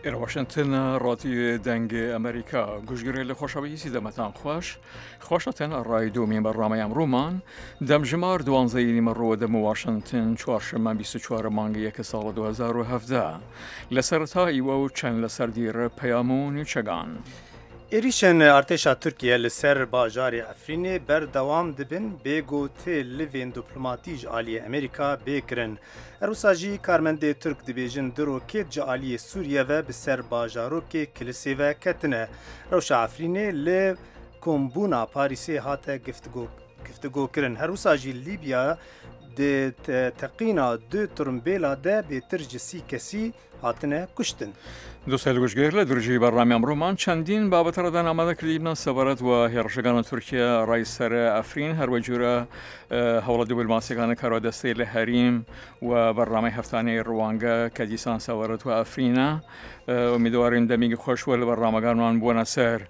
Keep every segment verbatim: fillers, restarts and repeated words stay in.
ئێرە واشنتن ڕادیۆ دەنگ ئەمریکا گوشگرێ لە خۆشەویستی دەمەتان خوەش خوەشەتەن ئەڕای دومین بەرنامەی ئەمڕوومان دەمژمار دوانزەی نیمەڕووە دەم واشنتن چوارشەممە بیست و چوار مانگ یەک ساڵ دوو هەزار و هەڤدە لە سەرەتا ئیوە و چەند لەسەر دیرە پەیام و نوچەگان. Êrişên artêşa Tirkiye li ser bajarê Efrînê berdewam dibin bê ku ti livên diplomatî ji aliyê Amerîka bê kirin. Her wisa jî karmendê Tirk dibêjin du rokêt ji aliyê Sûriye ve bi ser bajarokê Kilisê ve ketine. Rewşa Efrînê li kombûna Parîsê hate giftigokirin. Her wisa jî Lîbya di teqîna du tirimbêla de bêtir ji sî kesî hatine kuştin. دوستەیل گوشگر لە درژی بەرنامەی ئەمڕۆمان چەندین بابەتە ڕەدان ئامادە کردیمنە سەبارەت وە هێڕشەکانە تورکیا ڕای سەر ئەفرین هەروەجورە هەوڵە دیبلۆماسیەکانە کارۆدەستەی لە هەریم و بەرنامەی هەفتانەی ڕوانگە کە دیسان سەبارەت وە ئەفرینە. ئومیدوارین دەمێکی خۆش وە لە بەرنامەکانمان بووەنە سەر.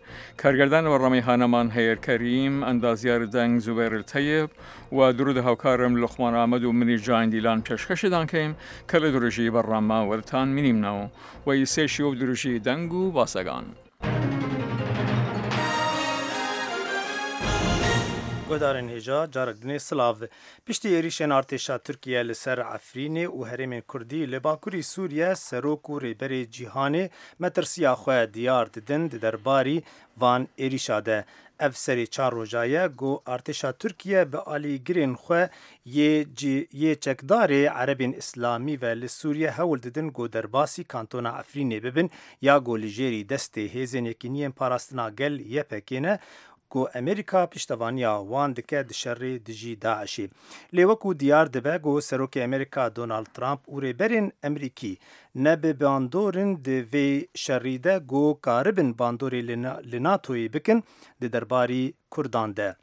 کارگردان لە بەرنامەی هانەمان هەیەر کەریم، ئەندازیار دەنگ زوبێر تەیب و درود هاوکارم لوقمان ئامەد و منی جان دیلان پێشکەشیدان کەیم کە لە درژی بەرنامە وەرتان مینیمنەوە و ئیسێشی و درژی دەنگ و باسەگان. Guhdarên hêja carek dinê silav. Piştî êrişên artêşa Tirkiye li ser Efrînê û herêmên Kurdî li Bakurî Sûriye serok û rêberê cîhanê metirsiya xwe diyar didin di derbarî van êrişa de. Ev serê çar roja ye ku artêşa Tirkiye bi alîgirên xwe yê yê çekdarê Erebên Îslamî ve li Sûriye hewl didin ku derbasî kantona Efrînê bibin ya ku li jêrî destê hêzên Yekîniyên Parastina Gel Y P G ne ku Amerîka piştevaniya wan dike di şerê dijî DAIŞê. Lê wekû diyar dibe ku Serokê Amerîka Donald Trump û rêberên Amerîkî ne bi bandorin di vê şerî de ku karibin bandorê li NATOyê bikin di derbarî Kurdan de.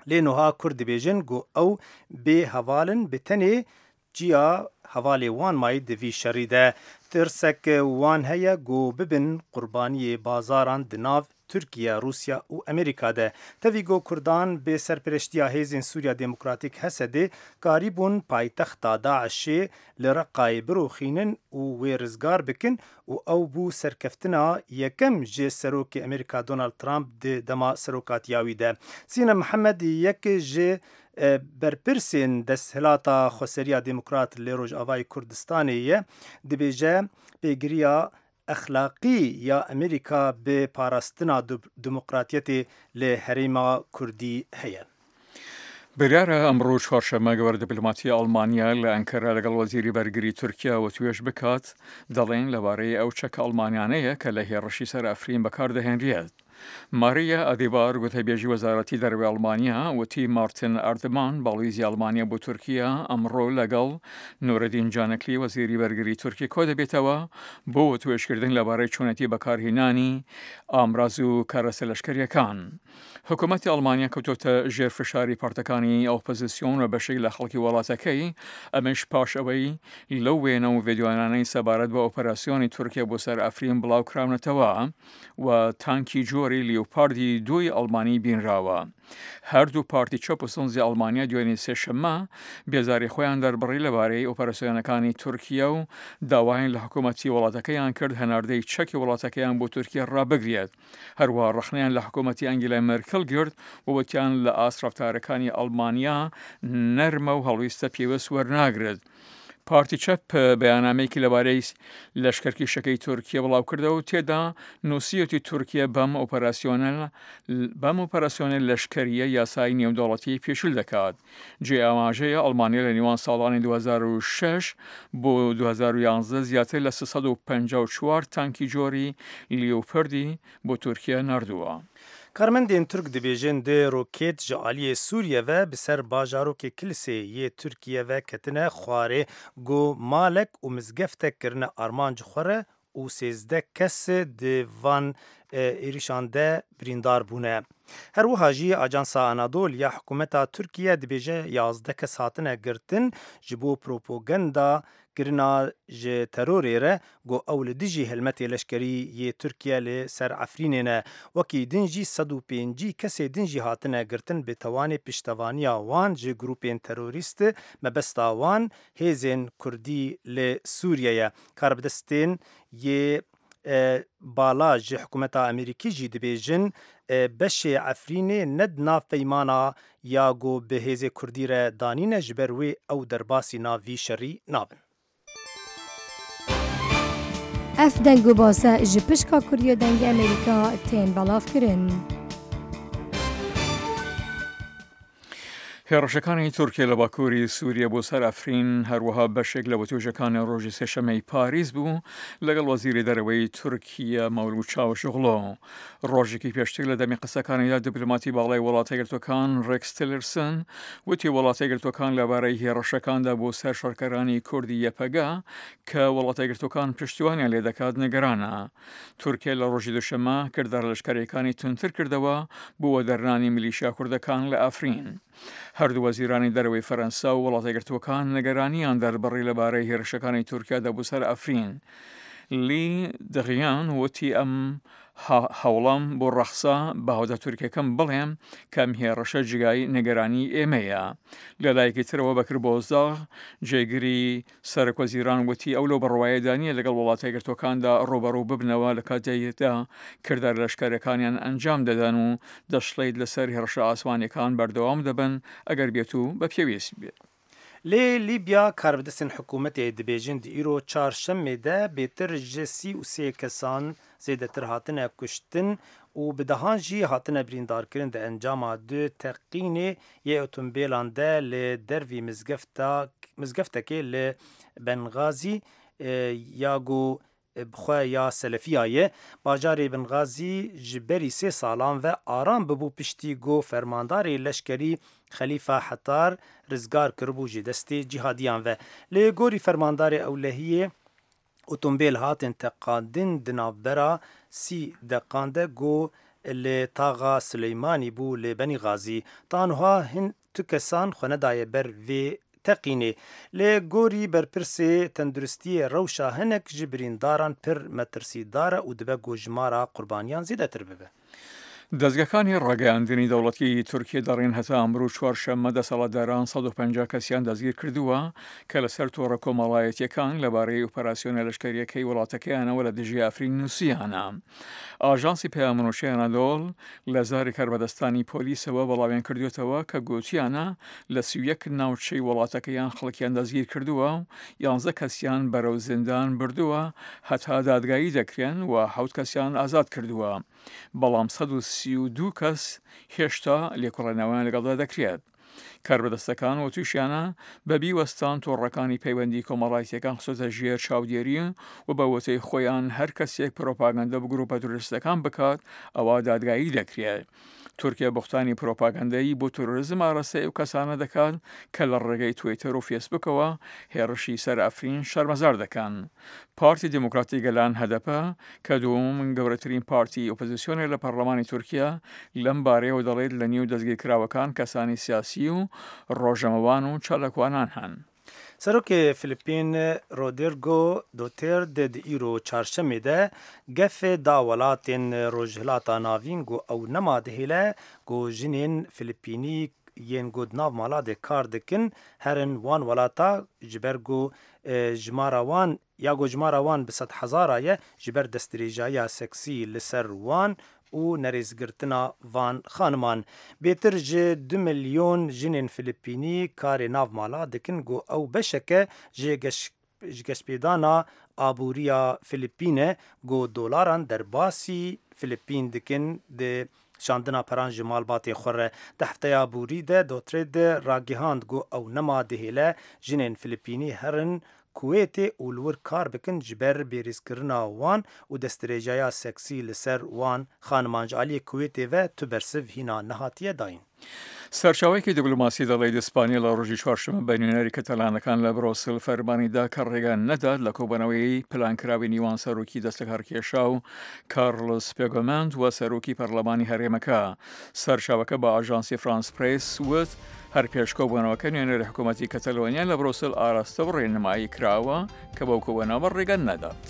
Lê niha Kurd dibêjin ku ew bê heval in bi tenê ciya hevalê wan mayî di vî şerî de. Tirsek wan heye ku bibin qurbaniyê bazaran di nav Türkiye, Rusya û Amerîka de. Tevî ku Kurdan bi serpereştiya hêzên Sûriya Demokratîk Hesedê karîbûn paytexta DAIŞê li Reqayê birûxînin û wê rizgar bikin û ew bû serkeftina yekem ji Serokê Amerîka Donald Trump di dema serokatiya wî de. Sînem Mihemed yek ji berpirsên desthilata Xweseriya Demokrat li Rojavayê Kurdistanê ye dibêje pêgiriya exlaqî ya Amerîka bi parastina demokratiyetê li herêma Kurdî heye. بڕیارە ئەمڕۆ چوارشەممە گەورە دیپلۆماتی ئەڵمانیا لە ئەنکەرە لەگەڵ وەزیری بەرگری تورکیا وتوێژ بکات، دەڵێن لەبارەی ئەو چەکە ئەڵمانیانەیە کە لە هێڕشی سەر ئەفرین بەکاردەهێنرێت. ماریا ئەدیبار گوتەبێژی وەزارەتی دەرەوەی ئەڵمانیا وتی مارتن ئەردمان باڵویزی ئەڵمانیا بۆ تورکیا ئەمڕۆ لەگەڵ نورەدین جانەکلی وەزیری بەرگری تورکی کۆ دەبێتەوە بۆ وتوێژکردن لەبارەی چۆنێتی بەکارهێنانی ئامراز و کەرەسە لەشکریەکان. حکوومەتی ئەڵمانیا کەوتۆتە ژێر فشاری پارتەکانی ئۆپۆزیسیۆن و بەشێک لە خەڵکی وڵاتەکەی، ئەمەش پاش ئەوەی لەو وێنە و ڤیدیۆیانەی سەبارەت بە ئۆپەراسیۆنی تورکیا بۆ سەر ئەفرین بڵاو کراونەتەوە و تانکی جۆری لیوپاردی دووی ئەڵمانی بینراوە. هەردوو پارتی چەپ و سەوزی ئەڵمانیا دوێنێ سێشەممە بێزاری خۆیان دەربڕی لەبارەی ئۆپەراسیۆنەکانی تورکیا و داوایان لە حکوومەتی وڵاتەکەیان کرد هەناردەی چەکی وڵاتەکەیان بۆ تورکیا ڕابگرێت. هەروەها ڕەخنەیان لە حکوومەتی ئەنگیلا مێرکل گرت و وتیان لە ئاست ڕەفتارەکانی ئەڵمانیا نەرمە و هەڵویستە پێویست وەرناگرێت. پارتی چەپ بەیاننامەیەکی لەبارەی لەشکرکێشەکەی تورکیا بڵاو کردەوە و تێدا نووسیەتی تورکیا بەم ئۆپەراسیۆنە بەم ئۆپەراسیۆنە لەشکریە یاسای نێودەوڵەتی پێشل دەکات. جێ ئاماژەیە ئەڵمانیا لە نێوان ساڵانی دوو هەزار و شەش بۆ دوو هەزار و یازدە زیاتر لە سێ سەد و پەنجا و چوار تانکی جۆری لیوپردی بۆ تورکیا ناردووە. Karmendên Tirk dibêjin du rokêt ji aliyê Sûriye ve bi ser bajarokê Kilisê yê Tirkiye ve ketine xwarê ku malek û mizgeftek kirine armanc xwe re û sêzdeh kes di van êrişan de birîndar bûne. Her wiha jî Ajansa Anadol ya hikûmeta Tirkiye dibêje yazdeh kes hatine girtin ji bo propaganda kirina ji terorê re got ew li dijî helmetê leşkerî yê Tirkiye li ser Efrînê ne. Wekî din jî sed û pêncî kesê din jî hatine girtin bi tewanê piştevaniya wan ji grûpên terorîst mebesta wan hêzên Kurdî li Sûriye ye. Karbidestên yê bala ji hikûmeta Amerîkî jî dibêjin beşê Efrînê ne di nav peymana ya ku bi hêzê Kurdî re danîne ji ber wê ew derbasî nav vî şerî nabin. Ev deng û base ji pişka Kurdiya Dengê Amerîka tên belavkirin. هێڕشەکانی تورکیا لە باکووری سووریە بۆ سەر ئەفرین هەروەها بەشێک لە وتوێژەکانی ڕۆژی سێشەمەی پاریس بوو لەگەڵ وەزیری دەرەوەی تورکیا مەولود چاوشئۆغلۆ. ڕۆژێکی پێشتر لە دەمی قسەکانیدا دیپلۆماتی باڵای وڵاتە یەکگرتووەکان ڕێکس تیلرسن وتی وڵاتە یەکگرتووەکان لەبارەی هێڕشەکاندا بۆ سەر شەڕکەرانی کوردی یەپەگە کە وڵاتە یەکگرتووەکان پشتیوانیان لێ دەکات نیگەرانە. تورکیا لە ڕۆژی دووشەممە کردارە لەشکەریەکانی توندتر کردەوە بۆ وەدەرنانی میلیشیا کوردەکان لە ئەفرین. هەردوو وەزیرانی دەرەوەی فەرەنسا و وڵاتە یەکگرتووەکان نیگەرانیان دەربڕی لەبارەی هێرشەکانی تورکیادا بۆ سەر ئەفرین. لی دغیان وتی ئەم هەوڵەم بۆ ڕەخسا بە هاوتا تورکیەکەم بڵێم کە ئەم هێڕشە جێگای نیگەرانی ئێمەیە. لە لایەکی ترەوە بەکر بۆزداغ جێگری سەرۆک وەزیران وتی ئەو لەو بڕوایەدا نییە لەگەڵ وڵاتە یەکگرتووەکاندا ڕووبەڕوو ببنەوە لە کاتێکدا کردارە لەشکەرەکانیان ئەنجام دەدەن و دەشڵێت لەسەر هێڕشە ئاسمانیەکان بەردەوام دەبن ئەگەر بێت و بە پێویست بێت. Lê Lîbya karbidestên hikûmetê dibêjin di îro çarşemê de bêtir ji sî û sê kesan zêdetir hatine kuştin û bi dehan jî hatine birîndarkirin di encama du teqînê yê otomobîlan de li dervî mizgefta mizgeftekê li Bengazî ya ku bi xwe ya Selefiya ye. Bajarê Bengazî ji berî sê salan ve aram bibû piştî ku fermandarê leşkerî Xelîfa Hefter rizgar kiribû ji destê cîhadiyan ve. Li gorî fermandarê ewlehiyê otomobîl hatin teqandin di navbera sî deqan de ku li taxa Silêmanî bû li Benîgazî. Ta niha hin tu kesan xwe nedaye ber vê teqînê. Li gorî berpirsê tenduristiyê rewşa hinek ji birîndaran pir metirsîdar e û dibe ku jimara qurbaniyan zêdetir bibe. دەزگەکانی ڕاگەیاندنی دەوڵەتی تورکیا دەڕێن هەتا ئەمڕۆ چوارشەممە دەسەڵاتداران سەد و پەنجا کەسیان دەستگیر کردووە کە لەسەر تۆڕە کۆمەڵایەتیەکان لەبارەی ئۆپەراسیۆنە لەشکەریەکەی وڵاتەکەیانەوە لە دژی ئەفرین نووسیانە. ئاژانسی پەیامنووشەی ئەنادۆڵ لە زاری کاربەدەستانی پۆلیسەوە بەڵاویان کردوێتەوە کە گوتیانە لە سی و یەک ناوچەی وڵاتەکەیان خەڵکیان دەستگیر کردووە و یانزە کەسیان بەرەو زیندان بردووە هەتا دادگایی دەکرێن و حەوت کەسیان ئازاد کردووە، بەڵام سەد و سی و دوو کەس هێشتا لێکۆڵێنەوەیان لەگەڵدا دەکرێت. کاربەدەستەکان وتوشیانە بەبی وەستان تۆڕەکانی پەیوەندی کۆمەڵایەتیەکان خستۆتە ژێر چاودێری و بە وتەی خۆیان هەر کەسێک پرۆپاگەندە بە گروپە تیرۆریستەکان بکات ئەوە دادگایی دەکرێت. تورکیا بوختانی پرۆپاگەندەی بۆ تیرۆریزم ئاراستەی ئەو کەسانە دەکات کە لە ڕێگەی تویتەر و فێسبوکەوە هێڕشی سەر ئەفرین شەرمەزار دەکەن. پارتی دیموکراتی گەلان هەدەپە کە دووەم گەورەترین پارتی ئۆپۆزیسیۆنە لە پەرلەمانی تورکیا لەم بارەیەوە دەڵێت لە نێو دەستگیرکراوەکان کەسانی سیاسی و ڕۆژەمەوان و چالاکوانان هەن. Serokê Filipîn Rodrigo Duterte di îro çarşemê de gefê da welatên Rojhilata Navîn ku ew nema dihêle ku jinên Filipînî yên ku di nav mala de kar dikin herin wan welata ji ber ku jimara wan ya ku jimara wan bi sed hezara ye ji ber destdirêjaya seksî li ser wan û nerêzgirtina van xaniman. Bêtir ji du milyon jinên Filipînî karê nav mala dikin ku ew beşeke ji ji geşpêdana aboriya Filipîn e ku dolaran derbasî Filipîn dikin di şandina peran ji malbatê xwe re. Di hefteya borî de Duterte ragihand ku ew nema dihêle jinên Filipînî herin Kuwêtê û li wir kar bikin ji ber bêrêzkirina wan û destdirêjaya seksî li ser wan xaniman ji aliyê Kuwêtê ve tu bersiv hîna nehatiye dayîn. سەرچاوەیەکی دیبلۆماسی دەڵێت ئیسپانیا لە ڕۆژی چوارشەممە بە نوێنەری کەتەلانەکان لە برۆسل فەرمانی دا کە ڕێگا نەدات لە کۆبوونەوەی پلانکراوی نیوان سەرۆکی دەستلەکارکێشاو کارلۆس پێگۆمەند و سەرۆکی پەرلەمانی هەرێمەکە. سەرچاوەکە بە ئاژانسی فرانس پرێس وت هەر پێش کۆبوونەوەکە نوێنەری حکوومەتی کەتەلۆنیا لە برۆسل ئاراستە و ڕێنمایی کراوە کە بەو کۆبوونەوە ڕێگە نەدات.